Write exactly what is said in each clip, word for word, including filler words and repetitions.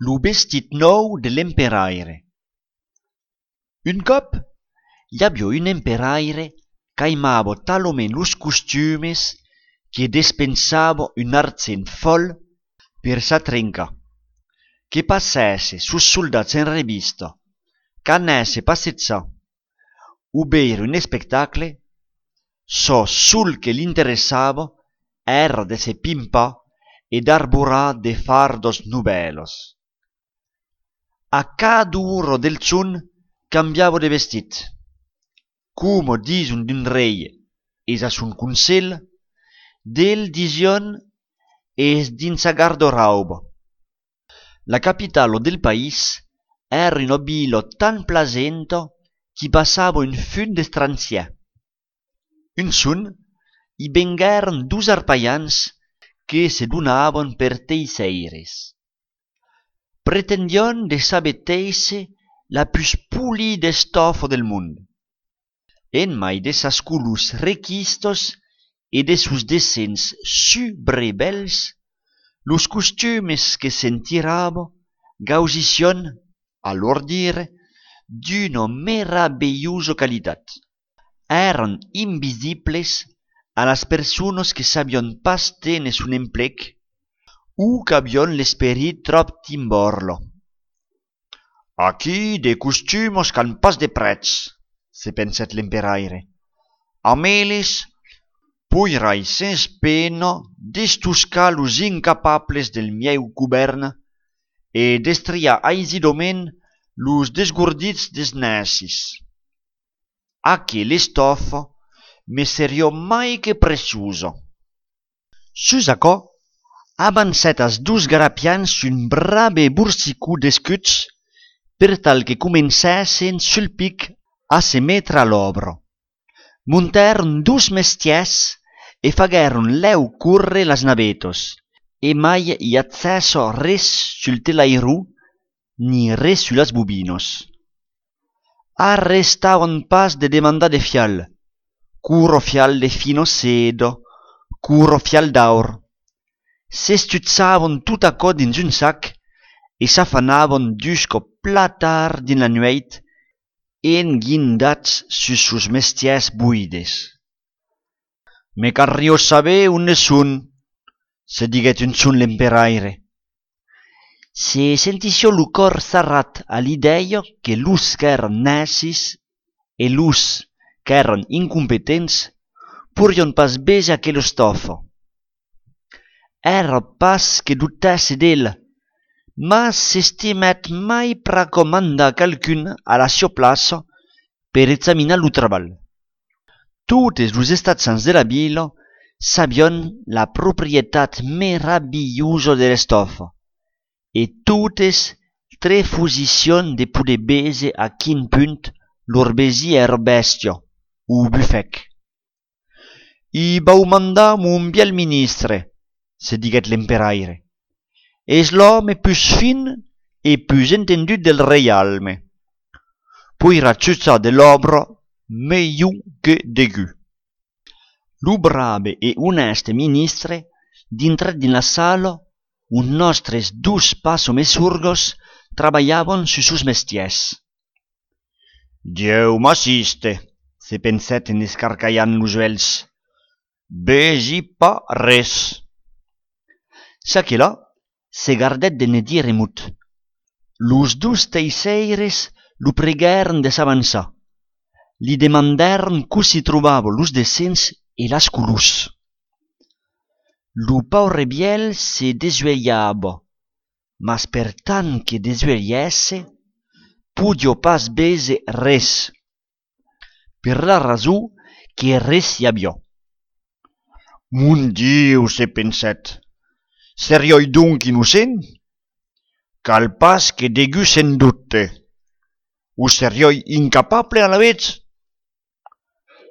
Lo vestit nòu de l'emperaire. Un còp, i aviá un emperaire qu'aimava talament los costumes que despensava un argent fòl per s'atrencar, que passèsse sos soldats en revista, qu'anèsse passejar o veire un espectacle, çò sol que l'interessava èra de se pimpar e d'arborar de fardas novèlas. A cada ora del jorn cambiava de vestit. Coma dison d'un rei es a son conselh, del dison es dins sa garda-rauba. La capitala del país èra una vila tan plasenta qu'i passava un fum d'estrangièrs. Un jorn, i venguèron dos arpajans que se donavan per teisseires. Pretendián de saber téisser la pus polida estòfa del mond. En mai de sas colors requistas e de sos dessenhs subrebèls, los costumes que se'n tirava gausissián, a lor dire, d'una meravelhosa qualitat. Èran invisibles a las personas que sabián pas téner son emplec o qu'avián l'esperit tròp timborla. Aquí de costumas qu'an pas de prètz, se pensèt l'emperaire. Amb eles, poirai sens pena destoscar los incapables del mieu govèrn e destriar aisidament los desgordits des nècis. Aquela estòfa me seriá mai que preciosa. Sus aquò, avancèt als dos grapians un brave borsicon d'escuts per tal que comencèssen sul pic a se metre a l'òbra. Montèron dos mestièrs e faguèron lèu córrer las navetas, e mai i agèssa res sul telairon ni res sus las bobinas. Arrestavan pas de demandar de fial, quora fial de fina seda, quora fial d'aur. S'estuchavan tot aquò dins un sac e s'afanavan dusca plan tard dins la nuèit, enguindats sus sos mestièrs boides. Me calriá saber ont son, se diguèt un jorn l'emperaire. Se sentissiá lo còr sarrat a l'idèia que los qu'èran nècis e los qu'èran incompetents porián pas véser aquela estòfa. Èra pas que dubtèsse d'ela, mas s'estimèt mai pr'aquò mandar qualqu'un a la siá plaça per examinar lo trabalh. Totes los estatjants de la vila sabián la proprietat meravilhosa de l'estòfa, e totes trefusissián de poder véser a quin punt lor vesin èra bèstia o bufèc. I vau mandar mon vièlh ministre, se diguèt l'emperaire. Es l'òme pus fin e pus entendut del reialme. Poirà jutjar de l'òbra melhor que degun. Lo brave e onèste ministre dintrèt dins la sala ont nòstres dos passamesorgas trabalhavan sus sos mestièrs. Dieu m'assiste, se pensèt en escarcalhant los uèlhs. Vesi pas res. Çaquelà se gardèt de ne dire mot. Los dos teisseires lo preguèron de s'avançar. Li demandèron cossí trobava los dessenhs e las colors. Lo paure vièlh se desuelhava, mas per tant que desuelhèsse, podiá pas véser res. Per la rason que res i aviá. Mon Dieu, se pensèt, seriái donc innocent? Cal pas que degun se'n dubte. O seriái incapable alavetz?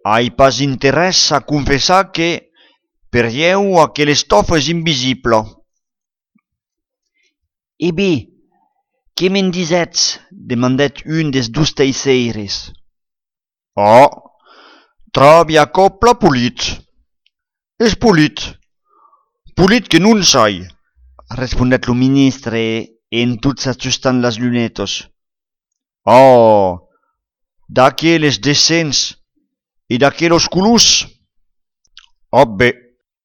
Ai pas interès a confessar que, per ieu, aquela estòfa es invisibla. E ben, que me'n disètz? Demandèt un des dos teisseires. Ò, tròbi aquò plan polit. Es polit. Polit que non sai, respondèt lo ministre en tot s'ajustant las lunetas. Oh, d'aqueles dessenhs e d'aquelas colors! Ò ben,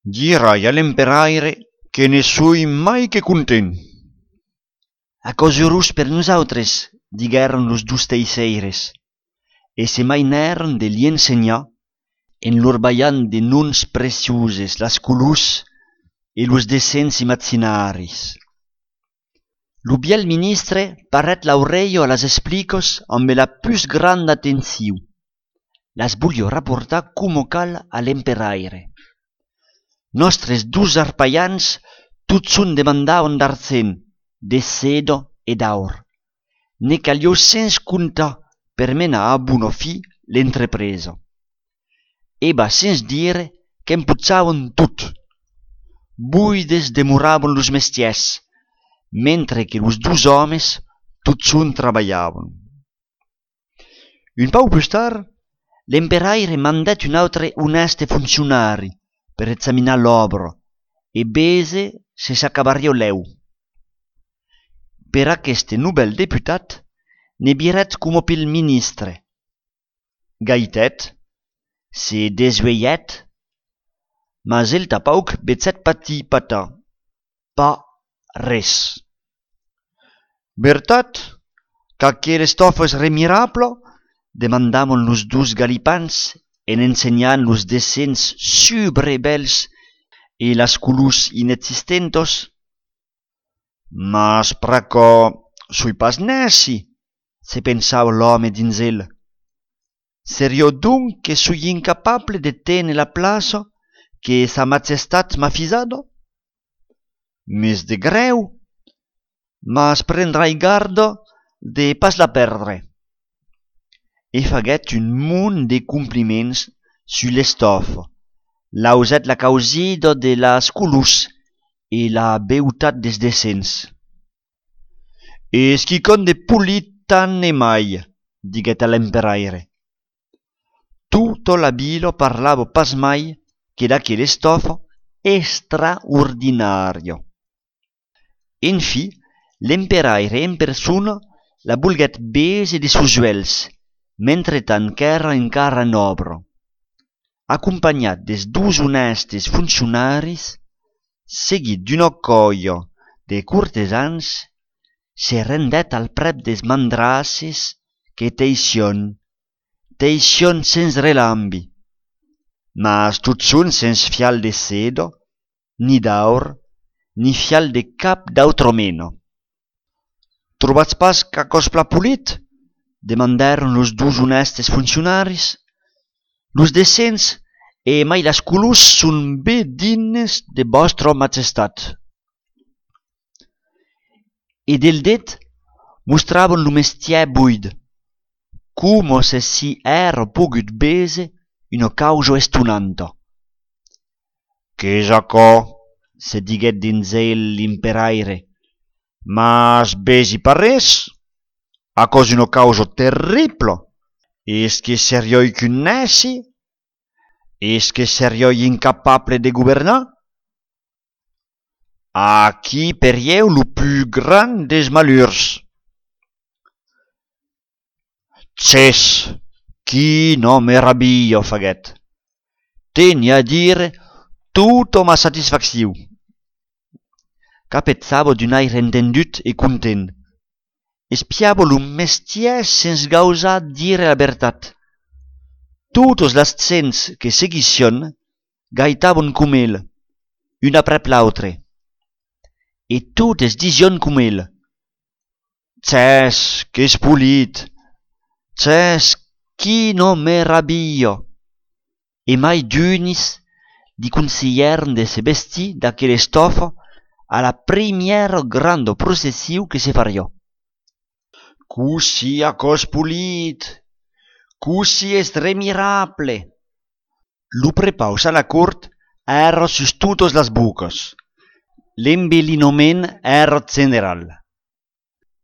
dirai a l'emperaire que ne soi mai que content. Aquò's urós per nosautres, diguèron los dos teisseires, e se mainèron de li ensenhar en lor balhant de noms precioses las colors e los dessenhs imaginaris. Lo vièlh ministre parèt l'aurelha a las explicas amb la pus granda atencion. Las voliá raportar coma cal a l'emperaire. Nòstres dos arpalhans totjorn demandavan d'argent, de seda e d'aur. Ne caliá sens comptar per menar a bona fin l'entrepresa. E va sens dire qu'empochavan tot. Buides demoravan los mestièrs, mentre que los dos òmes totjorn trabalhavan. Un pauc pus tard, l'emperaire mandèt un autre onèste foncionari per examinar l'òbra e véser se s'acabariá lèu. Per aqueste novèl deputat, ne virèt coma pel ministre. Gaitèt, se desvelhèt, mas el tanpauc vegèt patir patar, pas res. Vertat qu'aquela estòfa es remirabla? Demandavan los dos galipans en ensenhant los dessenhs subrebèls e las colors inexistentas. Mas pr'aquò soi pas nèci, se pensava l'òme dins el. Seriá donc que soi incapable de téner la plaça que Sa Majestat m'a fisada? M'es de grèu, mas prendrai garda de pas la pèrdre. E faguèt un mont de compliments sus l'estòfa, lausèt la causida de las colors e la beutat dels dessenhs. Es quicòm de polit tant e mai, diguèt a l'emperaire. Tota la vila parlava pas mai que d'aquela estòfa extraordinària. Enfin, l'emperaire en persona la volguèt véser de sos uèlhs, mentretant qu'èra encara en òbra. Acompanhat dels dos onèstes foncionaris, seguit d'una còlha de cortesans, se rendèt al prèp dels mandraces que teissián, teissián sens relambi, mas totjorn sens fial de seda, ni d'aur, ni fial de cap d'autra mena. Trobatz pas qu'aquò's plan polit? Demandèron los dos onèstes foncionaris. Los dessenhs e mai las colors son ben dignes de vòstra majestat. E del det mostravan lo mestièr buid, coma se s'i èra pogut véser una causa estonanta. Qu'es aquò? Se diguèt dins el l'imperaire. Mas vesi pas res. Aquò's una causa terribla. Es que seriái qu'un nèci? Es que seriái incapable de governar? Aquí per ieu lo pus grand dels malurs. Chès, quina meravilha, faguèt. Teni a dire tota ma satisfaccion. Capejava d'un aire entendut e content. Espiava lo mestièr sens gausar dire la vertat. Totas las gents que seguissián gaitavan coma el, un aprèp l'autre. E totes disián coma el: Chès, qu'es polit! Chès, quina meravilha! E mai d'unis li conselhèron de se vestir d'aquela estòfa a la primièra granda procession que se fariá. Cossí aquò's polit! Cossí es remirable! Lo prepaus a la cort èra sus totas las bocas. L'embelinament èra general.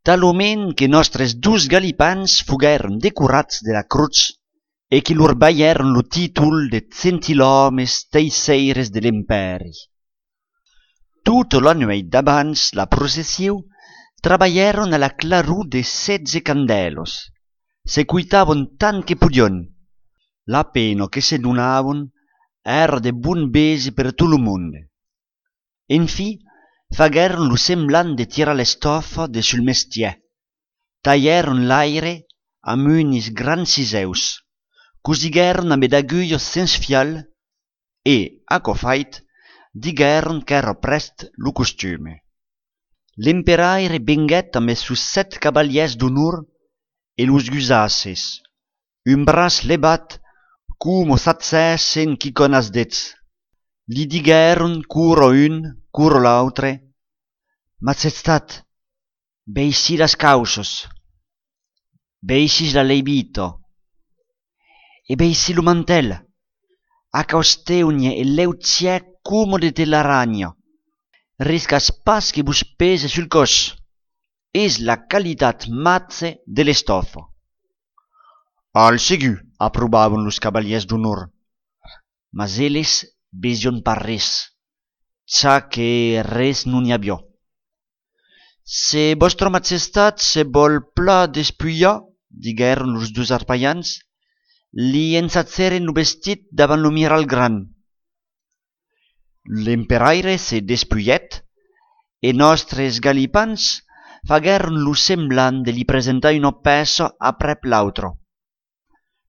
Talament que nòstres dos galipans foguèron decorats de la crotz e que lor balhèron lo títol de gentilòmes teisseires de l'Empèri. Tota la nuèit d'abans la procession Trabalhèron a la claror de setze candèlas, se coitavan tant que podián. La pena que se donavan èra de bon véser per tot lo monde. Enfin, faguèron lo semblant de tirar l'estòfa de sul mestièr, talhèron l'aire amb unis grans cisèus, cosiguèron ambe d'agulhas sens fial e, aquò fait, diguèron qu'èra prèst lo costume. L'emperaire venguèt ambe sos sèt cavalièrs d'onor e los gusasses, un braç levat coma s'agèssen quicòm as dets. Li diguèron quora un, quora l'autre: Majestat, veicí las cauças, veicí la levita e veicí lo mantèl, aquò es teunhe e leugièr coma de telaranha. Riscatz pas que vos pese sul còs. Es la qualitat màger de l'estòfa. Al segur, aprovavan los cavalièrs d'onor, mas eles vesián pas res, ja que res non i aviá. Se vòstra majestat se vòl plan despulhar, diguèron los dos arpalhans, li ensagerem lo vestit davant lo miralh grand. L'emperaire se despulhèt e nòstres galipans faguèron lo semblant de li presentar una pèça aprèp l'autra.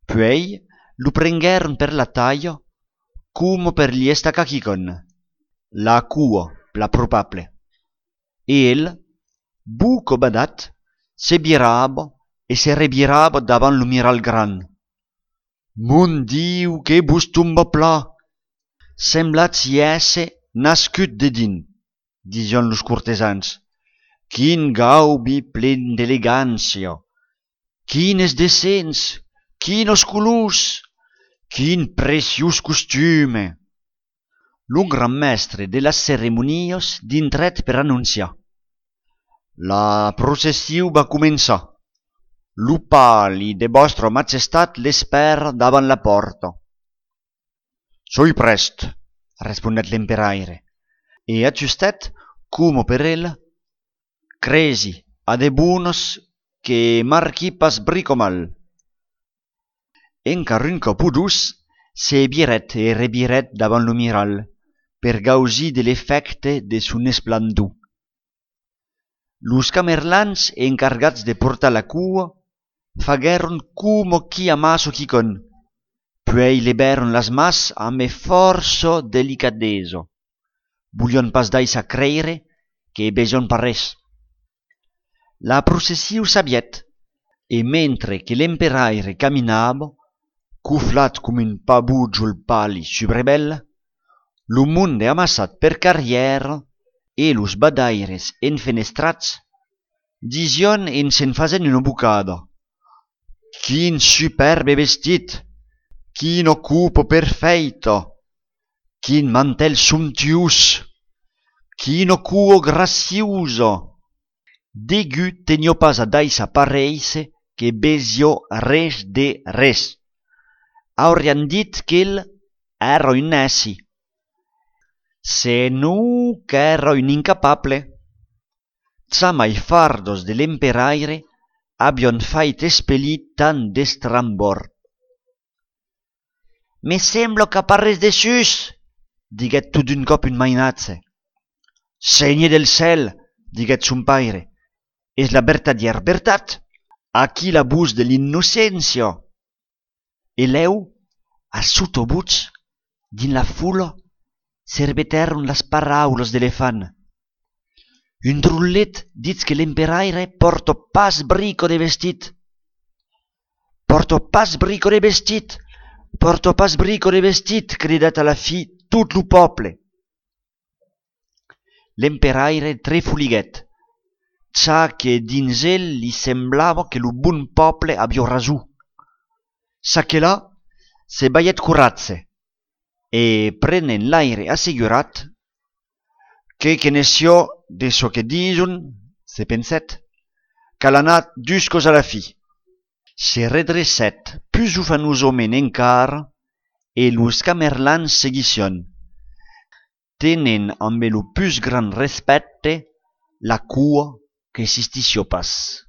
Puèi lo prenguèron per la talha, coma per li estacar quicòm, la coa, plan probable. E el, boca badat, se virava e se revirava davant lo miralh grand. Mon Diu, que vos tomba plan! Semblatz i èsser nascut dedins, disián los cortesans. Quin gaubi plen d'elegància! Quines dessenhs! Quinas colors! Quin preciós costume! Lo grand mèstre de las ceremonias dintrèt per anonciar: La procession va començar. Lo pali de vòstra majestat l'espèra davant la pòrta. Soi prèst, respondèt l'emperaire, e ajustèt, coma per el: Cresi, a de bonas, que marqui pas brica mal. Encara un còp o dos, se virèt e revirèt davant lo miralh per gausir de l'efècte de son esplendor. Los camerlans encargats de portar la coa faguèron coma qui amassa quicòm, puèi levèron las mans ambe fòrça delicadesa. Volián pas daissar creire que vesián pas res. La procession s'avièt, e mentre que l'emperaire caminava, coflat coma un pavojol pali sus brevèl, lo monde amassat per carrièra e los badaires enfenestrats disián en se'n fasent una bocada: Quin supèrbe vestit! Quina copa perfèita! Quin mantèl somptuós! Quina coa graciosa! Degun teniá pas a daissar paréisser que vesiá res de res. Aurián dit qu'el èra un nèci. Senon qu'èra un incapable. Jamai fardas de l'emperaire avián fait espelir tant d'estrambòrd. Me sembla qu'a pas res dessús, diguèt tot d'un còp un mainatge. Sénher del cèl, diguèt son paire, es la vertadièra vertat. Aquí la votz de l'innocéncia. E lèu, a sota votz, dins la fola, se repetèron las paraulas d'elefant. Un drollet ditz que l'emperaire pòrta pas brica de vestit. Pòrta pas brica de vestit! Pòrta pas brica de vestit! Cridèt a la fin tot lo pòble. L'emperaire trefoliguèt, ja que dins el li semblava que lo bon pòble aviá rason. Çaquelà se balhèt coratge e, prenent l'aire assegurat: Que que ne siá de çò que dison, se pensèt, cal anar duscas a la fin. Se redrecèt pus ufanosament encara e los camerlans seguissián, tenent ambe lo pus grand respècte la coa qu'existissiá pas.